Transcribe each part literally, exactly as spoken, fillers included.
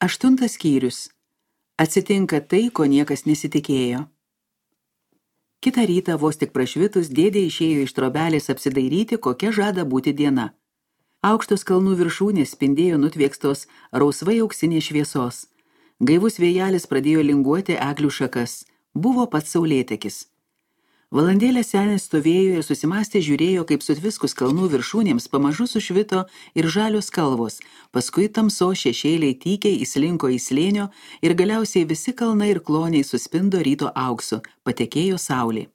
Aštuntas skyrius. Atsitinka tai, ko niekas nesitikėjo. Kitą rytą vos tik prašvitus dėdė išėjo iš trobelės apsidairyti, kokia žada būti diena. Aukštos kalnų viršūnės spindėjo nutviekstos rausvai auksinės šviesos. Gaivus vėjelis pradėjo linguoti eglių šakas. Buvo pats saulėtekis. Valandėlę senis stovėjo ir susimąstė žiūrėjo, kaip sutviskus kalnų viršūnėms pamažu sušvito ir žalios kalvos, paskui tamso šešėliai tykiai įslinko į slėnio ir galiausiai visi kalnai ir kloniai suspindo ryto auksu, patekėjo saulė.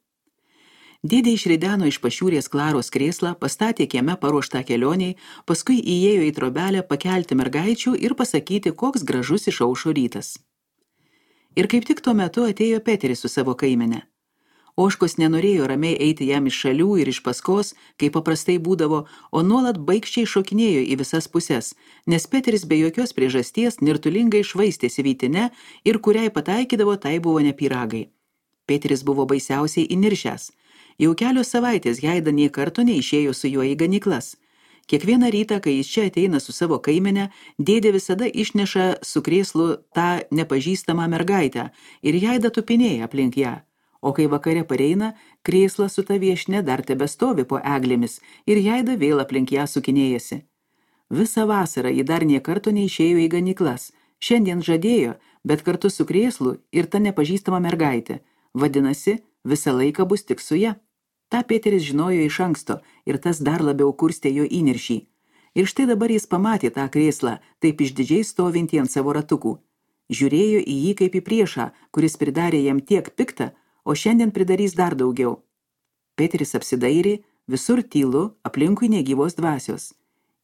Dėdė išrideno iš pašiūrės Klaros krėslą, pastatė kieme paruoštą kelioniai, paskui įėjo į trobelę pakelti mergaičių ir pasakyti, koks gražus išaušo rytas. Ir kaip tik tuo metu atėjo Peteris su savo kaimene. Ožkos nenorėjo ramiai eiti jam iš šalių ir iš paskos, kaip paprastai būdavo, o nuolat baikščiai šokinėjo į visas puses, nes Peteris be jokios priežasties nirtulingai švaistėsi vytine ir kuriai pataikydavo, tai buvo ne pyragai. Peteris buvo baisiausiai įniršęs. Jau kelios savaitės Heida nė karto neišėjo su juo į ganyklas. Kiekvieną rytą, kai jis čia ateina su savo kaimene, dėdė visada išneša su krėslu tą nepažįstamą mergaitę ir Heida tupinėja aplink ją. O kai vakare pareina, krėslas su ta viešne dar tebestovi po eglėmis ir Heida vėl aplink ją sukinėjasi. Visą vasarą ji dar nė karto neišėjo į ganyklas. Šiandien žadėjo, bet kartu su krėslu ir ta nepažįstama mergaitė. Vadinasi, visą laiką bus tik su ja. Ta Peteris žinojo iš anksto ir tas dar labiau kurstė jo įniršį. Ir štai dabar jis pamatė tą krėslą, taip išdidžiai stovintį ant savo ratukų. Žiūrėjo į jį kaip į priešą, kuris pridarė jam tiek piktą, o šiandien pridarys dar daugiau. Peteris apsidairė, visur tylu, aplinkui negyvos dvasios.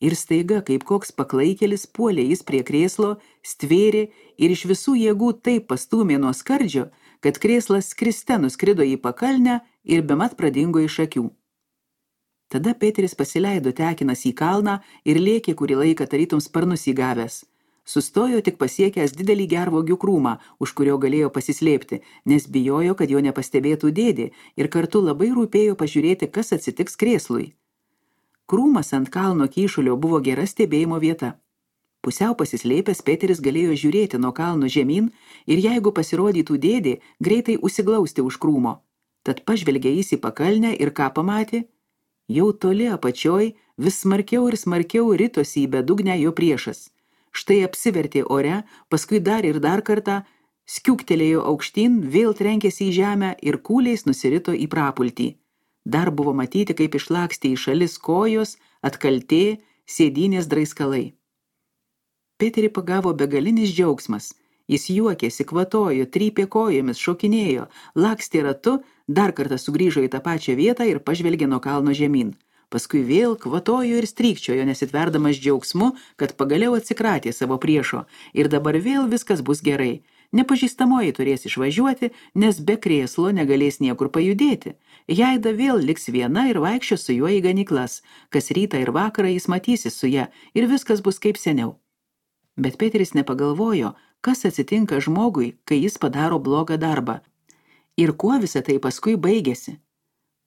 Ir staiga, kaip koks paklaikėlis, puolė jis prie krėslo, stvėrė ir iš visų jėgų taip pastūmė nuo skardžio, kad krėslas skriste nuskrido į pakalnę ir bemat pradingo iš akių. Tada Peteris pasileido tekinas į kalną ir lėkė kurį laiką tarytum sparnus įgavęs. Sustojo tik pasiekęs didelį gervuogių krūmą, už kurio galėjo pasislėpti, nes bijojo, kad jo nepastebėtų dėdė ir kartu labai rūpėjo pažiūrėti, kas atsitiks krėslui. Krūmas ant kalno kyšulio buvo gera stebėjimo vieta. Pusiau pasislėpęs Peteris galėjo žiūrėti nuo kalno žemyn ir jeigu pasirodytų dėdė, greitai užsiglausti už krūmo. Tad pažvelgė jis į pakalnę ir ką pamatė? Jau toli apačioj vis smarkiau ir smarkiau ritosi į bedugnę jo priešas. Štai apsivertė ore, paskui dar ir dar kartą, skiuktelėjo aukštyn, vėl trenkėsi į žemę ir kūliais nusirito į prapultį. Dar buvo matyti, kaip išlakstė į šalis kojos, atkaltė, sėdynės draiskalai. Peterį pagavo begalinis džiaugsmas. Jis juokėsi, kvatojo, trypė kojomis, šokinėjo, lakstė ratu, dar kartą sugrįžo į tą pačią vietą ir pažvelgė nuo kalno žemyn. Paskui vėl kvatojo ir strykčiojo, nesitverdamas džiaugsmu, kad pagaliau atsikratė savo priešo ir dabar vėl viskas bus gerai. Nepažįstamoji turės išvažiuoti, nes be krėslo negalės niekur pajudėti. Heida vėl liks viena ir vaikščio su juo į ganyklas. Kas rytą ir vakarą jis matysis su ja ir viskas bus kaip seniau. Bet Peteris nepagalvojo, kas atsitinka žmogui, kai jis padaro blogą darbą. Ir kuo visa tai paskui baigėsi.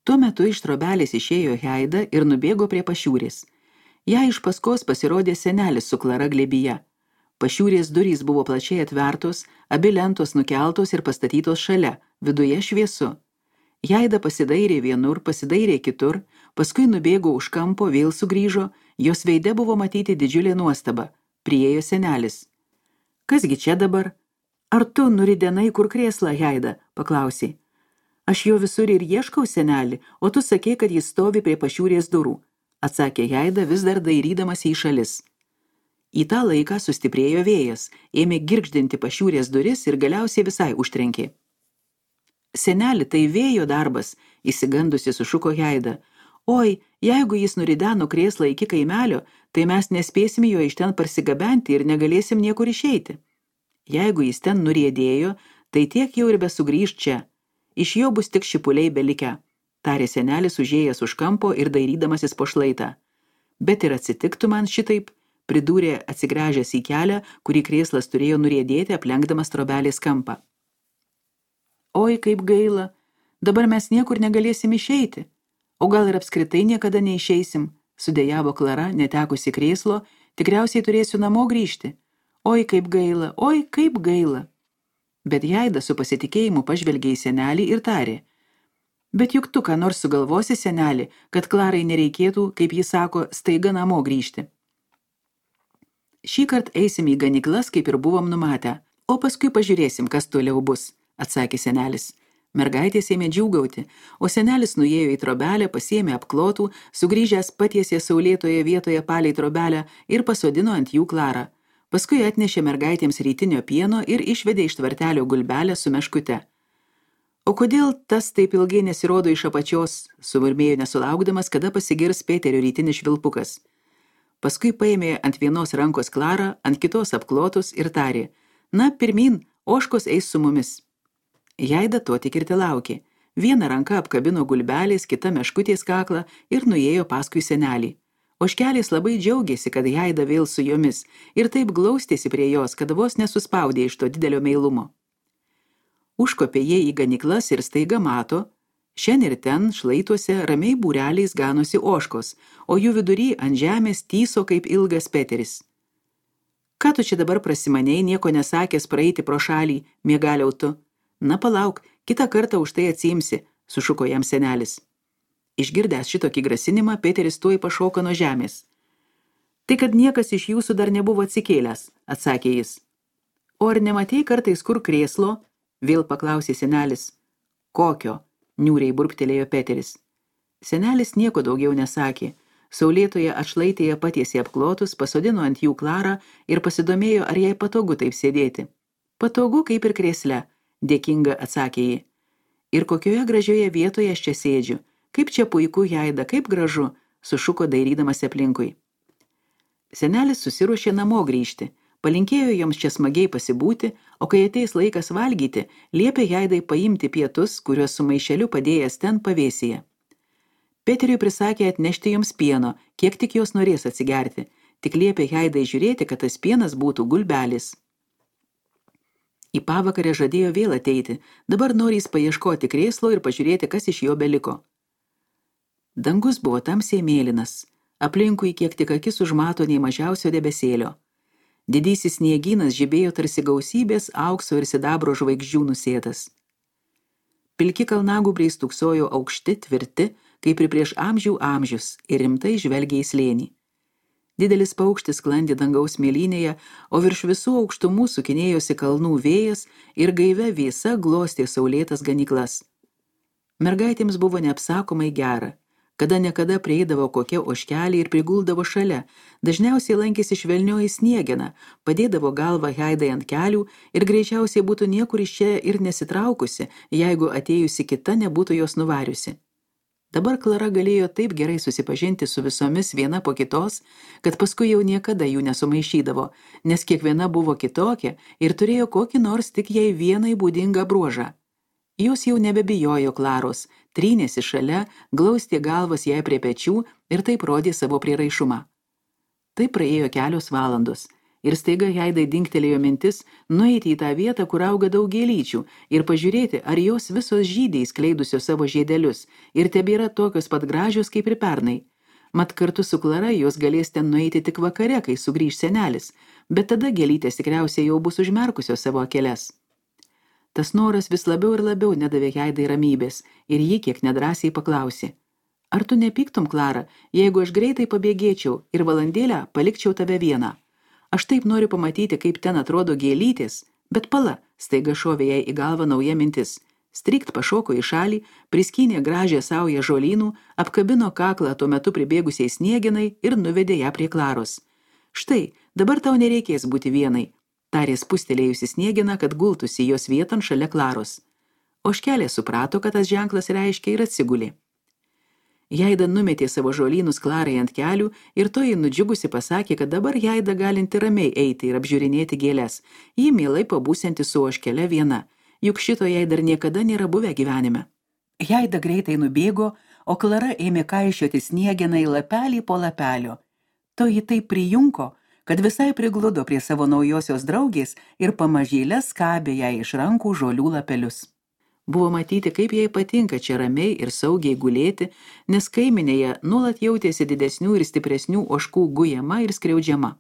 Tuo metu iš trobelės išėjo Heida ir nubėgo prie pašiūrės. Jai iš paskos pasirodė senelis su Klara glėbyje. Pašiūrės durys buvo plačiai atvertos, abi lentos nukeltos ir pastatytos šalia, viduje šviesu. Heida pasidairė vienur, pasidairė kitur, paskui nubėgo už kampo, vėl sugrįžo, jos veide buvo matyti didžiulė nuostaba. Priėjo senelis. Kasgi čia dabar? Ar tu nuridenai kur krėslą, Heida? Paklausė. Aš jo visur ir ieškau, senelį, o tu sakei, kad jis stovi prie pašiūrės durų, atsakė Heida vis dar dairydamas į šalis. Į tą laiką sustiprėjo vėjas, ėmė girgždinti pašiūrės duris ir galiausiai visai užtrenkė. Seneli, tai vėjo darbas, įsigandusi sušuko Heida. Oi, jeigu jis nurideno krėslą iki kaimelio, tai mes nespėsim jo iš ten parsigabenti ir negalėsim niekur išeiti. Jeigu jis ten nuriedėjo, tai tiek jau ir besugrįžt čia. Iš jo bus tik šipuliai belikę, tarė senelis užėjęs už kampo ir dairydamasis po šlaitą. Bet ir atsitiktų man šitaip, pridūrė atsigręžęs į kelią, kurį krėslas turėjo nuriedėti aplenkdamas trobelės kampą. Oi, kaip gaila, dabar mes niekur negalėsim išeiti. O gal ir apskritai niekada neišeisim, sudejavo Klara, netekusi krėslo, tikriausiai turėsiu namo grįžti. Oi, kaip gaila, oi, kaip gaila. Bet Jaida su pasitikėjimu pažvelgė į senelį ir tarė. Bet juk tu ką nors sugalvosi, senelį, kad Klarai nereikėtų, kaip jis sako, staiga namo grįžti. Šįkart eisim į ganyklas, kaip ir buvom numatę, o paskui pažiūrėsim, kas toliau bus, atsakė senelis. Mergaitės ėmė džiūgauti, o senelis nuėjo į trobelę, pasiėmė apklotų, sugrįžęs patiesė saulėtoje vietoje palei trobelę ir pasodino ant jų Klarą. Paskui atnešė mergaitėms rytinio pieno ir išvedė iš tvartelio gulbelę su meškute. O kodėl tas taip ilgai nesirodo iš apačios, sumurmėjo nesulaukdamas, kada pasigirs Peterio rytinis švilpukas. Paskui paėmė ant vienos rankos Klarą, ant kitos apklotus ir tarė, na, pirmin, ožkos eis su mumis. Jaida to tik ir telaukė. Viena ranka apkabino gulbelės, kita meškutės kaklą ir nuėjo paskui senelį. Ožkelės labai džiaugėsi, kad Jaida vėl su jomis ir taip glaustėsi prie jos, kad vos nesuspaudė iš to didelio meilumo. Užkopė jie į ganyklas ir staiga mato, šen ir ten šlaituose ramiai būreliais ganosi ožkos, o jų vidury ant žemės tyso kaip ilgas Peteris. Ką tu čia dabar prasimanei, nieko nesakęs praeiti pro šalį, miegaliau tu? Na palauk, kitą kartą už tai atsiimsi, sušuko jam senelis. Išgirdęs šitokį grasinimą, Peteris tuoj pašoko nuo žemės. Tai kad niekas iš jūsų dar nebuvo atsikėlęs, atsakė jis. O ar nematei kartais kur krėslo? Vėl paklausė senelis. Kokio? Niūriai burptelėjo Peteris. Senelis nieko daugiau nesakė. Saulėtoje atšlaitėje patiesė apklotus, pasodino ant jų Klarą ir pasidomėjo, ar jai patogu taip sėdėti. Patogu kaip ir krėsle, dėkinga atsakė ji. Ir kokioje gražioje vietoje aš čia sėdžiu. Kaip čia puiku, Jaida, kaip gražu, sušuko dairydamas aplinkui. Senelis susiruošė namo grįžti, palinkėjo joms čia smagiai pasibūti, o kai ateis laikas valgyti, liepė Jaidai paimti pietus, kuriuos su maišeliu padėjęs ten pavėsyje. Peteriui prisakė atnešti joms pieno, kiek tik jos norės atsigerti, tik liepė Jaidai žiūrėti, kad tas pienas būtų gulbelis. Į pavakarę žadėjo vėl ateiti, dabar norės paieškoti krėslo ir pažiūrėti, kas iš jo beliko. Dangus buvo tamsiai mėlynas, aplinkui kiek tik akis užmato nei mažiausio debesėlio. Didysis sniegynas žibėjo tarsi gausybės aukso ir sidabro žvaigždžių nusėtas. Pilki kalnagūbriai stūksojo aukšti, tvirti, kaip ir prieš amžių amžius, ir rimtai žvelgė į slėnį. Didelis paukštis sklandė dangaus mėlynėje, o virš visų aukštumų sukinėjosi kalnų vėjas ir gaivia vėsa glostė saulėtas ganyklas. Mergaitėms buvo neapsakomai gera. Kada nekada prieidavo kokia ožkelė ir priguldavo šalia, dažniausiai lankėsi švelnioji sniegena, padėdavo galvą Jaidai ant kelių ir greičiausiai būtų niekur iš čia ir nesitraukusi, jeigu atėjusi kita nebūtų jos nuvariusi. Dabar Klara galėjo taip gerai susipažinti su visomis viena po kitos, kad paskui jau niekada jų nesumaišydavo, nes kiekviena buvo kitokia ir turėjo kokį nors tik jai vienai būdingą bruožą. Jos jau nebebijojo Klaros, trynėsi šalia, glaustė galvas jai prie pečių ir taip rodė savo prieraišumą. Tai praėjo kelios valandos ir staiga Jaidai dingtelėjo mintis nueiti į tą vietą, kur auga daug gėlyčių ir pažiūrėti, ar jos visos žydiai skleidusios savo žiedelius ir tebėra tokios pat gražios kaip ir pernai. Mat kartu su Klara jos galės ten nueiti tik vakare, kai sugrįž senelis, bet tada gėlytės tikriausiai jau bus užmerkusios savo akeles. Tas noras vis labiau ir labiau nedavė Jaidai ramybės ir ji kiek nedrąsiai paklausė. Ar tu nepyktum, Klara, jeigu aš greitai pabėgėčiau ir valandėlę palikčiau tave vieną? Aš taip noriu pamatyti, kaip ten atrodo gėlytės, bet pala, staiga šovė jai į galvą nauja mintis. Strikt pašoko į šalį, priskynė gražią saują žolynų, apkabino kaklą tuo metu pribėgusiai snieginai ir nuvedė ją prie Klaros. Štai, dabar tau nereikės būti vienai, tarė spustelėjusi snieginą, kad gultųsi jos vieton šalia Klaros. Ožkelė suprato, kad tas ženklas reiškia ir atsigulė. Jaida numetė savo žolynus Klarai ant kelių ir toji nudžiugusi pasakė, kad dabar Jaida galinti ramiai eiti ir apžiūrinėti gėles, ji mielai pabūsianti su ožkele viena, juk šito jai dar niekada nėra buvę gyvenime. Jaida greitai nubėgo, o Klara ėmė kaišioti sniegeną į lapelį po lapelio. Toji taip prijunko, kad visai prigludo prie savo naujosios draugės ir pamažėlę skabė jai iš rankų žolių lapelius. Buvo matyti, kaip jai patinka čia ramiai ir saugiai gulėti, nes kaiminėje nuolat jautėsi didesnių ir stipresnių ožkų gujama ir skriaudžiama.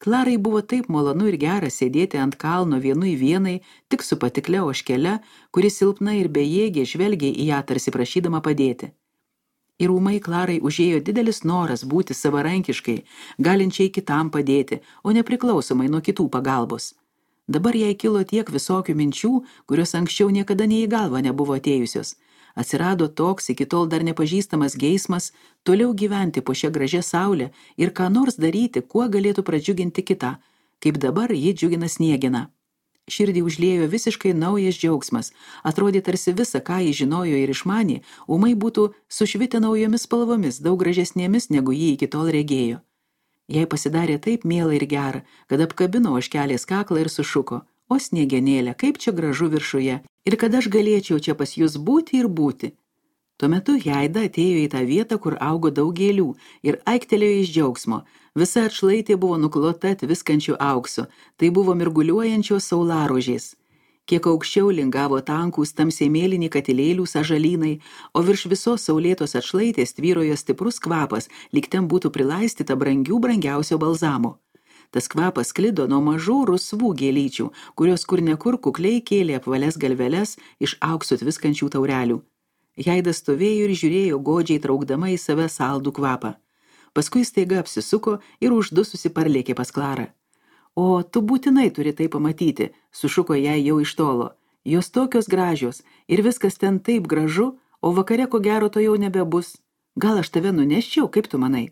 Klarai buvo taip malonu ir gera sėdėti ant kalno vienu į vienai, tik su patikle ožkele, kuri silpna ir bejėgė žvelgė į ją tarsi prašydama padėti. Ir ūmai Klarai užėjo didelis noras būti savarankiškai, galinčiai kitam padėti, o nepriklausomai nuo kitų pagalbos. Dabar jai kilo tiek visokių minčių, kurios anksčiau niekada nei į galvą nebuvo atėjusios. Atsirado toks iki tol dar nepažįstamas geismas toliau gyventi po šią gražią saulę ir ką nors daryti, kuo galėtų pradžiuginti kitą, kaip dabar ji džiugina Sniegeną. Širdį užliejo visiškai naujas džiaugsmas, atrodė tarsi visa, ką ji žinojo ir išmanė, ūmai būtų sušvitę naujomis spalvomis, daug gražesnėmis, negu ji iki tol regėjo. Jai pasidarė taip miela ir gera, kad apkabino ožkelės kaklą ir sušuko: o Sniegenėlė, kaip čia gražu viršuje, ir kad aš galėčiau čia pas jūs būti ir būti. Tuo metu Jaida atėjo į tą vietą, kur augo daug gėlių, ir aiktelėjo iš džiaugsmo. Visa atšlaitė buvo nuklota tviskančių auksu, tai buvo mirguliuojančios saularožės. Kiek aukščiau lingavo tankūs tamsiai mėlyni katilėlių sąžalynai, o virš visos saulėtos atšlaitės tvyrojo stiprus kvapas, lyg ten būtų prilaistyta brangių brangiausio balzamo. Tas kvapas sklido nuo mažų rusvų gėlyčių, kurios kur nekur kukliai kėlė apvalias galveles iš auksu tviskančių taurelių. Jaida stovėjo ir žiūrėjo godžiai traukdama į save saldų kvapą. Paskui staiga apsisuko ir uždususi parlėkė pas Klarą. O tu būtinai turi tai pamatyti, sušuko jai jau iš tolo. Jos tokios gražios ir viskas ten taip gražu, o vakare ko gero to jau nebebus. Gal aš tave nuneščiau, kaip tu manai?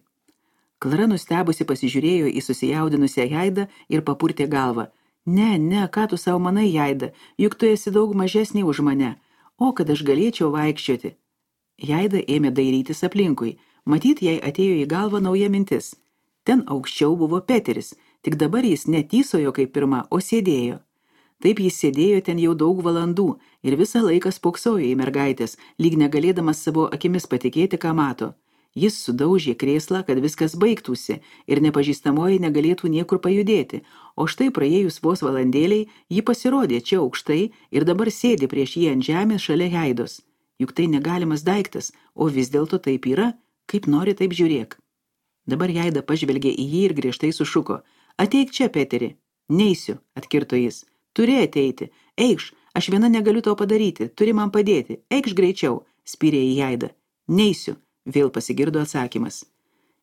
Klara nustebusi pasižiūrėjo į susijaudinusią Jaidą ir papurtė galvą. Ne, ne, ką tu savo manai, Jaida, juk tu esi daug mažesnė už mane. O, kad aš galėčiau vaikščioti. Jaida ėmė dairytis aplinkui. Matyt, jai atėjo į galvą nauja mintis. Ten aukščiau buvo Peteris, tik dabar jis netysojo kaip pirma, o sėdėjo. Taip jis sėdėjo ten jau daug valandų ir visą laiką spoksojo į mergaitės, lyg negalėdamas savo akimis patikėti, ką mato. Jis sudaužė krėslą, kad viskas baigtųsi ir nepažįstamoji negalėtų niekur pajudėti, o štai praėjus vos valandėliai ji pasirodė čia aukštai ir dabar sėdi prieš jį ant žemės šalia Jaidos. Juk tai negalimas daiktas, o vis dėlto taip yra, kaip nori taip žiūrėk. Dabar Jaida pažvelgė į jį ir griežtai sušuko. Ateik čia, Peteri. Neisiu, atkirto jis. Turi ateiti. Eikš, aš viena negaliu to padaryti, turi man padėti. Eikš greičiau, spyrė į Jaidą. Neisiu. Vėl pasigirdo atsakymas.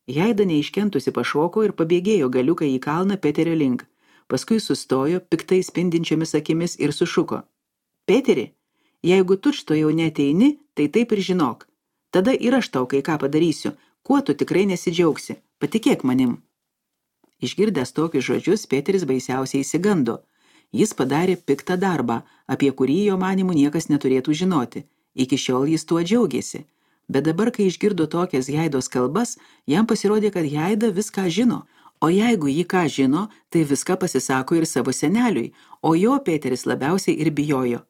Jaida neiškentusi pašoko ir pabėgėjo galiuką į kalną Peterio link. Paskui sustojo piktai spindinčiomis akimis ir sušuko. Peteri, jeigu tučto jau neteini, tai taip ir žinok. Tada ir aš tau kai ką padarysiu, kuo tu tikrai nesidžiaugsi. Patikėk manim. Išgirdęs tokius žodžius, Peteris baisiausiai įsigando. Jis padarė piktą darbą, apie kurį jo manimų niekas neturėtų žinoti. Iki šiol jis tuo džiaugėsi. Bet dabar, kai išgirdo tokias Jaidos kalbas, jam pasirodė, kad Jaida viską žino, o jeigu ji ką žino, tai viską pasisako ir savo seneliui, o jo Peteris labiausiai ir bijojo.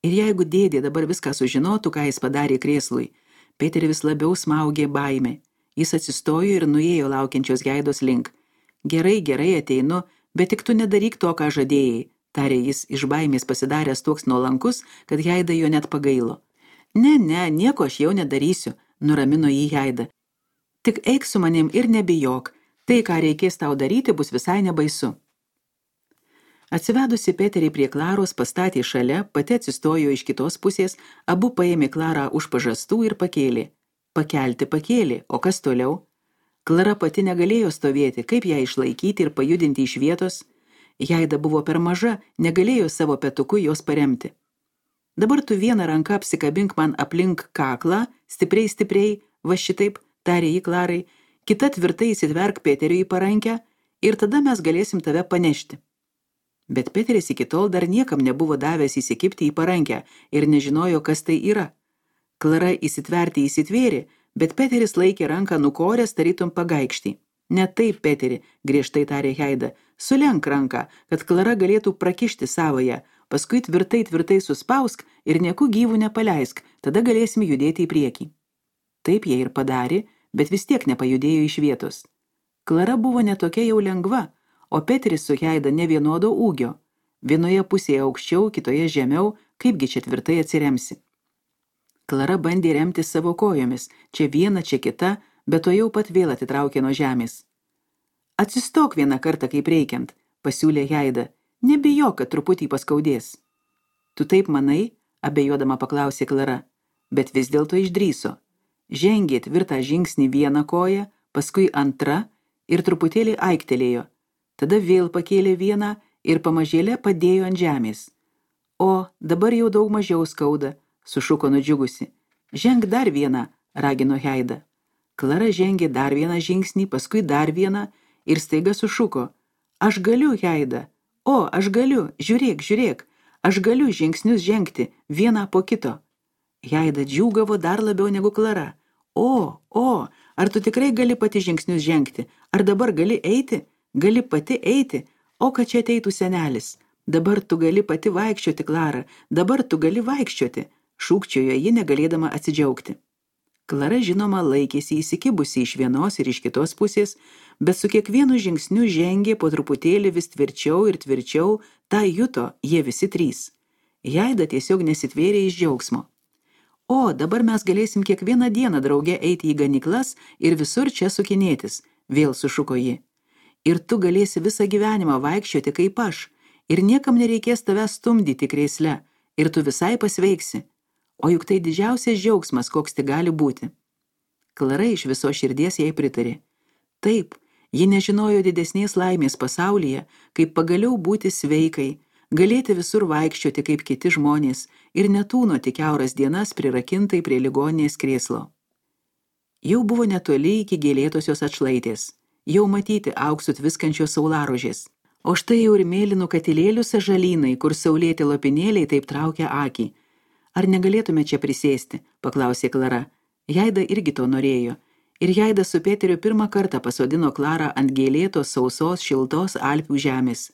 Ir jeigu dėdė dabar viską sužinotų, ką jis padarė krėslui, Peterį vis labiau smaugė baimė. Jis atsistojo ir nuėjo laukiančios Jaidos link. Gerai, gerai ateinu, bet tik tu nedaryk to, ką žadėjai, tarė jis iš baimės pasidaręs toks nuolankus, kad Jaida jo net pagailo. Ne, ne, nieko aš jau nedarysiu, nuramino jį Jaida. Tik eik su manim ir nebijok, tai, ką reikės tau daryti, bus visai nebaisu. Atsivedusi Peterį prie Klaros pastatė šalia, pati atsistojo iš kitos pusės, abu paėmė Klarą už pažastų ir pakėlė. Pakelti pakėlė, o kas toliau? Klara pati negalėjo stovėti, kaip ją išlaikyti ir pajudinti iš vietos. Jaida buvo per maža, negalėjo savo petuku jos paremti. Dabar tu vieną ranką apsikabink man aplink kaklą, stipriai, stipriai, va šitaip, tarė jį Klarai, kita tvirtai įsitverk Peteriui į parankę ir tada mes galėsim tave panešti. Bet Peteris iki tol dar niekam nebuvo davęs įsikibti į parankę ir nežinojo, kas tai yra. Klara įsitverti įsitvėrė, bet Peteris laikė ranką nukoręs tarytum pagaikštį. Ne taip, Peteri, griežtai tarė Jaida, sulenk ranką, kad Klara galėtų prakišti savoje, paskui tvirtai tvirtai suspausk ir nieku gyvų nepaleisk, tada galėsim judėti į priekį. Taip jie ir padarė, bet vis tiek nepajudėjo iš vietos. Klara buvo netokia jau lengva, o Peteris su Jaida ne vienodo ūgio. Vienoje pusėje aukščiau, kitoje žemiau, kaipgi čia tvirtai atsiremsi. Klara bandė remti savo kojomis, čia viena, čia kita, bet to jau pat vėl atitraukė nuo žemės. Atsistok vieną kartą kaip reikiant, pasiūlė Jaida. Nebijok, kad truputį paskaudės. Tu taip manai, abejodama paklausė Klara, bet vis dėlto išdryso. Žengė tvirtą žingsnį vieną koją, paskui antrą ir truputėlį aiktelėjo. Tada vėl pakėlė vieną ir pamažėlę padėjo ant žemės. O, dabar jau daug mažiau skauda, sušuko nudžiugusi. Ženk dar vieną, ragino Jaida. Klara žengė dar vieną žingsnį, paskui dar vieną ir staiga sušuko. Aš galiu, Jaida. O, aš galiu, žiūrėk, žiūrėk. Aš galiu žingsnius žengti, vieną po kito. Jaida džiūgavo dar labiau negu Klara. O, o, ar tu tikrai gali pati žingsnius žengti? Ar dabar gali eiti? Gali pati eiti? O, kad čia ateitų senelis. Dabar tu gali pati vaikščioti, Klara. Dabar tu gali vaikščioti. Šūkčiojo ji negalėdama atsidžiaugti. Klara, žinoma, laikėsi įsikibusi iš vienos ir iš kitos pusės, bet su kiekvienu žingsniu žengė po truputėlį vis tvirčiau ir tvirčiau, tą juto jie visi trys. Jaida tiesiog nesitvėrė iš džiaugsmo. O, dabar mes galėsim kiekvieną dieną drauge eiti į ganyklas ir visur čia sukinėtis, vėl sušuko ji. Ir tu galėsi visą gyvenimą vaikščioti kaip aš, ir niekam nereikės tavęs stumdyti krėsle, ir tu visai pasveiksi. O juk tai didžiausias džiaugsmas, koks tai gali būti. Klara iš viso širdies jai pritarė. Taip, ji nežinojo didesnės laimės pasaulyje, kaip pagaliau būti sveikai, galėti visur vaikščioti kaip kiti žmonės ir netūnoti kiauras dienas prirakintai prie ligoninės krėslo. Jau buvo netoli iki gėlėtosios atšlaitės, jau matyti auksų tviskančios saularožės. O štai jau ir mėlynų katilėlių sažalynai, kur saulėti lopinėliai taip traukia akį. Ar negalėtume čia prisėsti, paklausė Klara. Jaida irgi to norėjo. Ir Jaida su Peteriu pirmą kartą pasodino Klarą ant gėlėtos, sausos, šiltos Alpių žemės.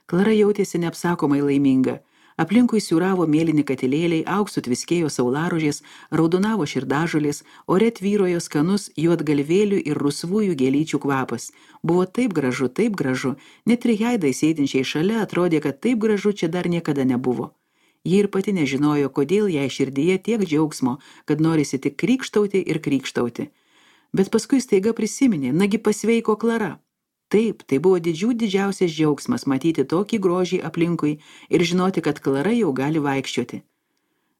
Klara jautėsi neapsakomai laiminga. Aplinkui siūravo mėlyni katilėliai, auksų tviskėjo saularožės, raudonavo širdažolės, ore tvyrojo skanus juodgalvėlių ir rusvųjų gėlyčių kvapas. Buvo taip gražu, taip gražu, net ir Jaidai sėdinčiai šalia atrodė, kad taip gražu čia dar niekada nebuvo. Ji ir pati nežinojo, kodėl jai širdyje tiek džiaugsmo, kad norisi tik krykštauti ir krykštauti. Bet paskui staiga prisiminė, nagi pasveiko Klara. Taip, tai buvo didžių didžiausias džiaugsmas matyti tokį grožį aplinkui ir žinoti, kad Klara jau gali vaikščioti.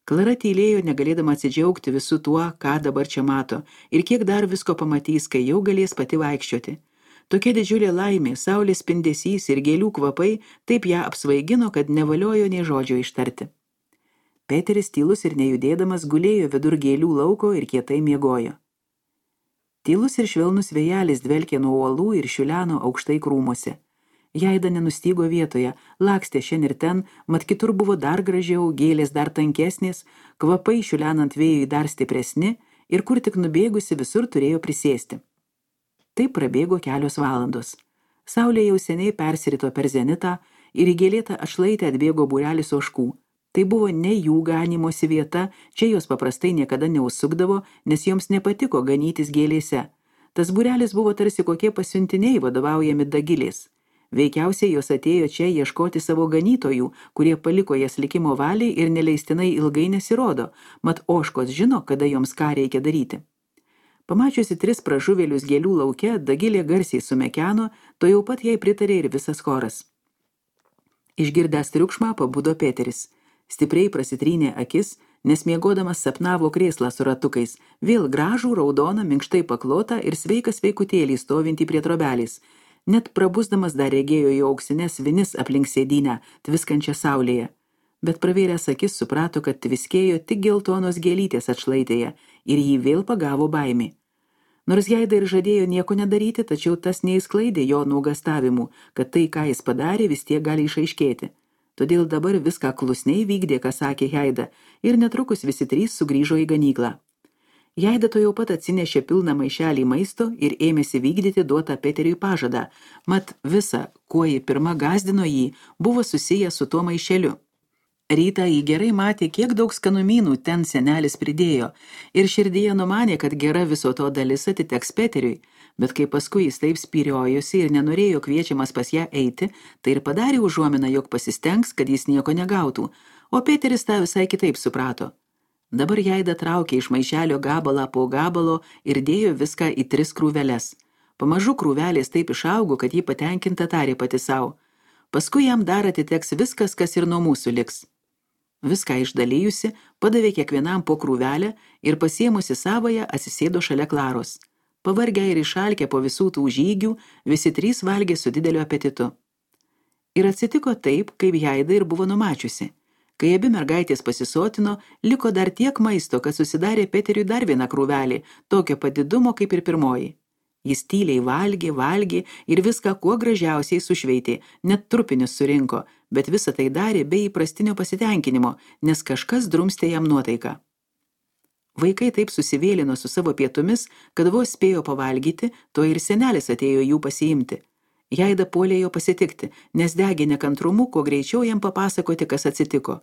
Klara tylėjo, negalėdama atsidžiaugti visų tuo, ką dabar čia mato, ir kiek dar visko pamatys, kai jau galės pati vaikščioti. Tokia didžiulė laimė, saulės spindesys ir gėlių kvapai taip ją apsvaigino, kad nevaliojo nei žodžio ištarti. Peteris tylus ir nejudėdamas gulėjo vidur gėlių lauko ir kietai miegojo. Tylus ir švelnus vėjelis dvelkė nuo uolų ir šiuleno aukštai krūmuose. Jaida nenustygo vietoje, lakstė šien ir ten, mat kitur buvo dar gražiau, gėlės dar tankesnės, kvapai šiulenant vėjui dar stipresni ir kur tik nubėgusi visur turėjo prisėsti. Taip prabėgo kelios valandos. Saulė jau seniai persirito per zenitą ir į gėlėtą atšlaitę atbėgo būrelis ožkų. Tai buvo ne jų ganimosi vieta, čia jos paprastai niekada neužsukdavo, nes joms nepatiko ganytis gėlėse. Tas būrelis buvo tarsi kokie pasiuntiniai vadovaujami dagilės. Veikiausiai jos atėjo čia ieškoti savo ganytojų, kurie paliko jas likimo valiai ir neleistinai ilgai nesirodo, mat ožkos žino, kada joms ką reikia daryti. Pamačiusi tris pražuvėlius gėlių lauke, dagilė garsiai sumekeno, to jau pat jai pritarė ir visas choras. Išgirdęs triukšmą pabudo Peteris. Stipriai prasitrynė akis, nes miegodamas sapnavo krėslą su ratukais, vėl gražų, raudoną, minkštai paklotą ir sveiką sveikutėlį stovintį prie trobelės. Net prabusdamas dar regėjo jo auksines vinis aplink sėdynę, tviskančią saulėje. Bet pravėręs akis suprato, kad tviskėjo tik geltonos gėlytės atšlaitėje ir jį vėl pagavo baimė. Nors Jaida ir žadėjo nieko nedaryti, tačiau tas neįsklaidė jo nuogastavimų, kad tai, ką jis padarė, vis tiek gali išaiškėti. Todėl dabar viską klusniai vykdė, ką sakė Jaida, ir netrukus visi trys sugrįžo į ganyklą. Jaida to jau pat atsinešė pilną maišelį maisto ir ėmėsi vykdyti duotą Peteriui pažadą, mat visa, kuo ji pirma gąsdino jį, buvo susiję su tuo maišeliu. Rytą jį gerai matė, kiek daug skanumynų ten senelis pridėjo, ir širdyje numanė, kad gera viso to dalis atiteks Peteriui, bet kai paskui jis taip spyriojosi ir nenorėjo kviečiamas pas ją eiti, tai ir padarė užuominą, jog pasistengs, kad jis nieko negautų, o Peteris tą visai kitaip suprato. Dabar Jaida traukė iš maišelio gabalą po gabalo ir dėjo viską į tris krūveles. Pamažu krūvelės taip išaugo, kad jį patenkinta tarė pati savo. Paskui jam dar atiteks viskas, kas ir nuo mūsų liks. Viską išdalijusi, padavė kiekvienam po krūvelę ir pasiemusi savoje atsisėdo šalia Klaros. Pavargę ir išalkę po visų tų žygių, visi trys valgė su dideliu apetitu. Ir atsitiko taip, kaip Jaida ir buvo numačiusi. Kai abi mergaitės pasisotino, liko dar tiek maisto, kad susidarė Peteriui dar vieną krūvelį, tokio padidumo kaip ir pirmoji. Jis tyliai valgė, valgė ir viską kuo gražiausiai sušveitė, net trupinius surinko, bet visą tai darė be įprastinio pasitenkinimo, nes kažkas drumstė jam nuotaiką. Vaikai taip susivėlino su savo pietumis, kad vos spėjo pavalgyti, to ir senelis atėjo jų pasiimti. Jaida puolė jo pasitikti, nes degė nekantrumu, kuo greičiau jam papasakoti, kas atsitiko.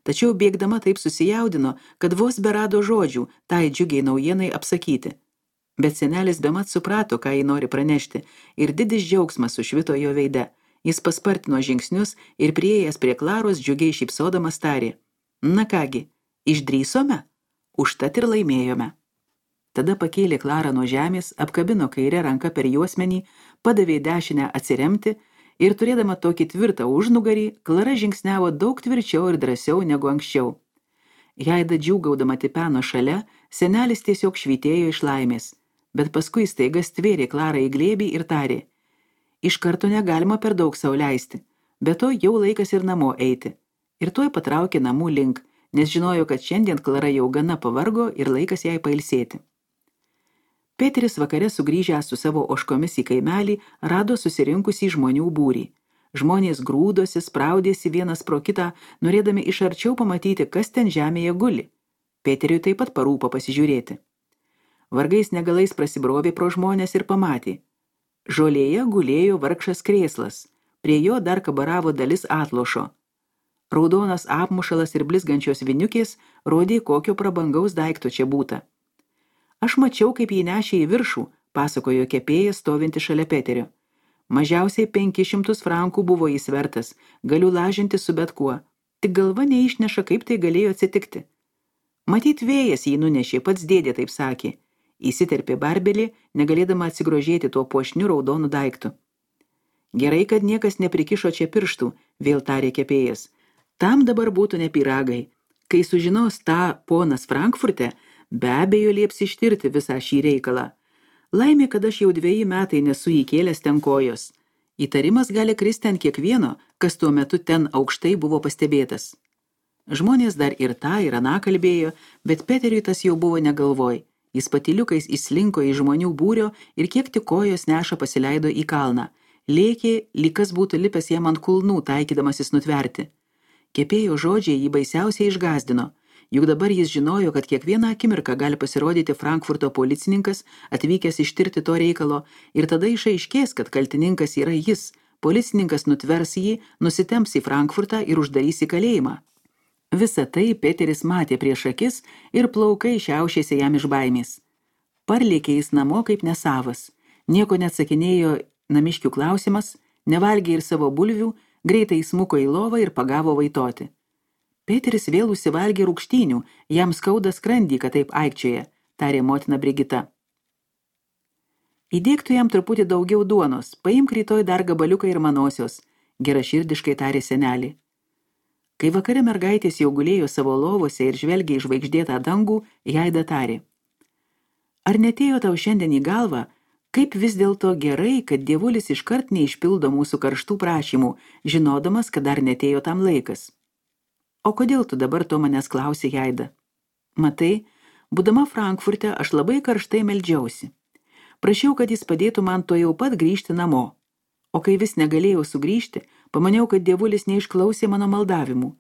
Tačiau bėgdama taip susijaudino, kad vos berado žodžių tai džiugiai naujienai apsakyti. Bet senelis bemat suprato, ką jį nori pranešti, ir didis džiaugsmas sušvito jo veide. Jis paspartino žingsnius ir priėjęs prie Klaros džiugiai šypsodamas tarė: Na kągi, išdrįsome? Užtat ir laimėjome. Tada pakėlė Klarą nuo žemės, apkabino kairę ranką per juosmenį, padavė dešinę atsiremti ir turėdama tokį tvirtą užnugarį, Klara žingsniavo daug tvirčiau ir drąsiau negu anksčiau. Jaida džiūgaudama tipeno šalia, senelis tiesiog švytėjo iš laimės, bet paskui staiga stvėrė Klarą į glėbį ir tarė: Iš karto negalima per daug sau leisti, bet to jau laikas ir namo eiti. Ir tuoj patraukė namų link, nes žinojo, kad šiandien Klara jau gana pavargo ir laikas jai pailsėti. Peteris vakare sugrįžęs su savo ožkomis į kaimelį rado susirinkusį žmonių būrį. Žmonės grūdosi, spraudėsi vienas pro kitą, norėdami iš arčiau pamatyti, kas ten žemėje guli. Peteriui taip pat parūpo pasižiūrėti. Vargais negalais prasibrovė pro žmonės ir pamatė. Žolėje gulėjo vargšas krėslas, prie jo dar kabaravo dalis atlošo. Raudonas apmušalas ir blizgančios viniukės rodė, kokio prabangaus daikto čia būta. Aš mačiau, kaip jį nešė į viršų, pasakojo kepėjas stovinti šalia Peterio. Mažiausiai penkis šimtus frankų buvo jis vertas, galiu lažinti su bet kuo, tik galva neišneša, kaip tai galėjo atsitikti. Matyt, vėjas jį nunešė, pats dėdė taip sakė. Įsiterpė Barbelį, negalėdama atsigrožėti tuo puošniu raudonu daiktu. Gerai, kad niekas neprikišo čia pirštų, vėl tarė kepėjas. Tam dabar būtų ne pyragai. Kai sužinos tą ponas Frankfurte, be abejo lieps ištirti visą šį reikalą. Laimė, kad aš jau dveji metai nesu įkėlęs ten kojos. Įtarimas gali kristi ant kiekvieno, kas tuo metu ten aukštai buvo pastebėtas. Žmonės dar ir tą ir aną kalbėjo, bet Peteriui tas jau buvo negalvoj. Jis patyliukais įslinko į žmonių būrio ir kiek tik kojos neša pasileido į kalną. Lėkė, lyg kas būtų lipęs jam ant kulnų, taikydamasis nutverti. Kepėjo žodžiai jį baisiausiai išgazdino. Juk dabar jis žinojo, kad kiekvieną akimirką gali pasirodyti Frankfurto policininkas, atvykęs ištirti to reikalo, ir tada išaiškės, kad kaltininkas yra jis. Policininkas nutvers jį, nusitemps į Frankfurtą ir uždarys į kalėjimą. Visą tai Peteris matė prieš akis ir plaukai šiaušėsi jam iš baimės. Parlėkė jis namo kaip nesavas. Nieko neatsakinėjo namiškių klausimas, nevalgė ir savo bulvių, greitai įsmuko į lovą ir pagavo vaitoti. Peteris vėl užsivalgė rūgštynių, jam skauda skrandį, kad taip aikčioja, tarė motina Brigita. Įdėktų jam truputį daugiau duonos, paimk rytoj dar gabaliuką ir manosios, geraširdiškai tarė senelį. Kai vakare mergaitės jau gulėjo savo lovose ir žvelgė į žvaigždėtą dangų, Jaida tarė. Ar netėjo tau šiandien į galvą, kaip vis dėlto gerai, kad dievulis iškart neišpildo mūsų karštų prašymų, žinodamas, kad dar netėjo tam laikas? O kodėl tu dabar to manęs klausi, Jaida? Matai, būdama Frankfurte, aš labai karštai meldžiausi. Prašiau, kad jis padėtų man to jau pat grįžti namo. O kai vis negalėjau sugrįžti, pamaniau, kad dievulis neišklausė mano maldavimų.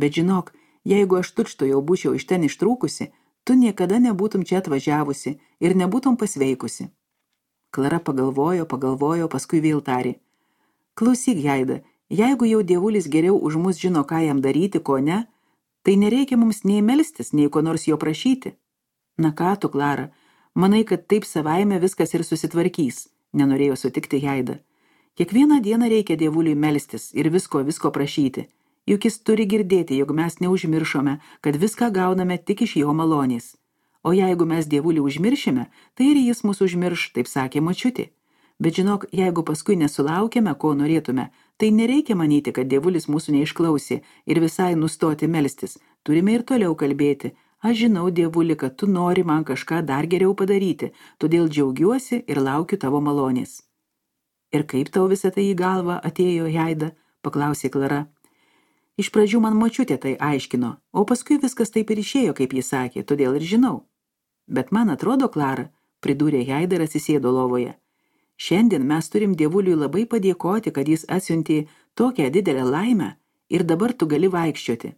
Bet žinok, jeigu aš tučto jau būčiau iš ten ištrūkusi, tu niekada nebūtum čia atvažiavusi ir nebūtum pasveikusi. Klara pagalvojo, pagalvojo, paskui vėl tarė. Klausyk, Jaida, jeigu jau dievulis geriau už mus žino, ką jam daryti, ko ne, tai nereikia mums nei melstis, nei ko nors jo prašyti. Na ką tu, Klara, manai, kad taip savaime viskas ir susitvarkys, nenorėjo sutikti Jaida. Kiekvieną dieną reikia dievuliui melstis ir visko, visko prašyti. Juk jis turi girdėti, jog mes neužmiršome, kad viską gauname tik iš jo malonės. O jeigu mes dievulį užmiršime, tai ir jis mus užmirš, taip sakė močiutė. Bet žinok, jeigu paskui nesulaukėme, ko norėtume, tai nereikia manyti, kad dievulis mūsų neišklausė ir visai nustoti melstis. Turime ir toliau kalbėti. Aš žinau, dievuli, kad tu nori man kažką dar geriau padaryti, todėl džiaugiuosi ir laukiu tavo malonės. Ir kaip tau visą tai į galvą atėjo, Jaida? Paklausė Klara. Iš pradžių man močiutė tai aiškino, o paskui viskas taip ir išėjo, kaip jis sakė, todėl ir žinau. Bet man atrodo, Klara, pridūrė Jaida ir atsisėdo lovoje. Šiandien mes turim dievuliui labai padėkoti, kad jis atsiuntė tokią didelę laimę ir dabar tu gali vaikščioti.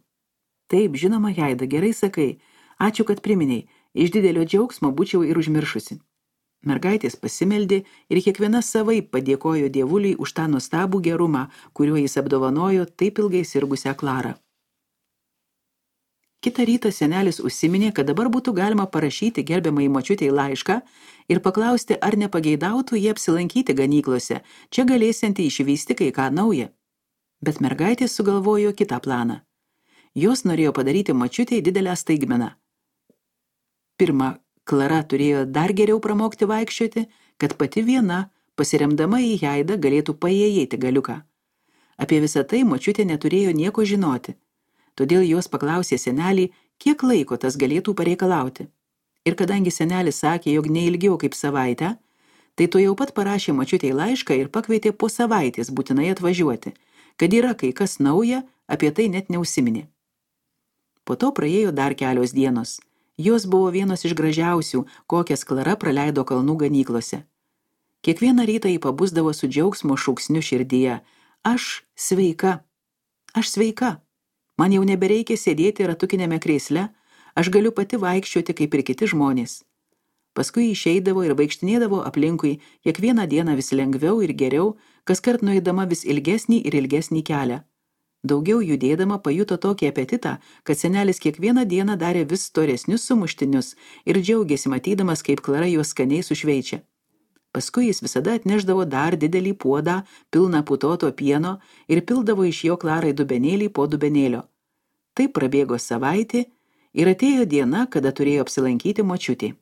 Taip, žinoma, Jaida, gerai sakai. Ačiū, kad priminei. Iš didelio džiaugsmo būčiau ir užmiršusi. Mergaitės pasimeldė ir kiekviena savaip padėkojo dievuliui už tą nuostabų gerumą, kuriuo jis apdovanojo taip ilgai sirgusią Klarą. Kitą rytą senelis užsiminė, kad dabar būtų galima parašyti gerbiamai močiutei laišką ir paklausti, ar nepageidautų jie apsilankyti ganyklose, čia galėsianti išvysti kai ką naują. Bet mergaitės sugalvojo kitą planą. Jos norėjo padaryti močiutei didelę staigmeną. Pirma, Klara turėjo dar geriau pramokti vaikščioti, kad pati viena, pasiremdama į Jaidą, galėtų paėjėti galiuką. Apie visą tai močiutė neturėjo nieko žinoti. Todėl jos paklausė senelį, kiek laiko tas galėtų pareikalauti. Ir kadangi senelis sakė, jog neilgiau kaip savaitę, tai to jau pat parašė močiutei laišką ir pakvietė po savaitės būtinai atvažiuoti, kad yra kai kas nauja, apie tai net neužsiminė. Po to praėjo dar kelios dienos. Jos buvo vienos iš gražiausių, kokias Klara praleido kalnų ganyklose. Kiekvieną rytą jį pabusdavo su džiaugsmo šauksniu širdyje. Aš sveika. Aš sveika. Man jau nebereikia sėdėti ratukinėme krėsle, aš galiu pati vaikščioti kaip ir kiti žmonės. Paskui išeidavo ir vaikštinėdavo aplinkui, kiekvieną dieną vis lengviau ir geriau, kaskart nueidama vis ilgesnį ir ilgesnį kelią. Daugiau judėdama pajuto tokį apetitą, kad senelis kiekvieną dieną darė vis storesnius sumuštinius ir džiaugėsi matydamas, kaip Klara juos skaniai sušveičia. Paskui jis visada atnešdavo dar didelį puodą, pilną putoto pieno ir pildavo iš jo Klarai dubenėlį po dubenėlio. Taip prabėgo savaitė ir atėjo diena, kada turėjo apsilankyti močiutė.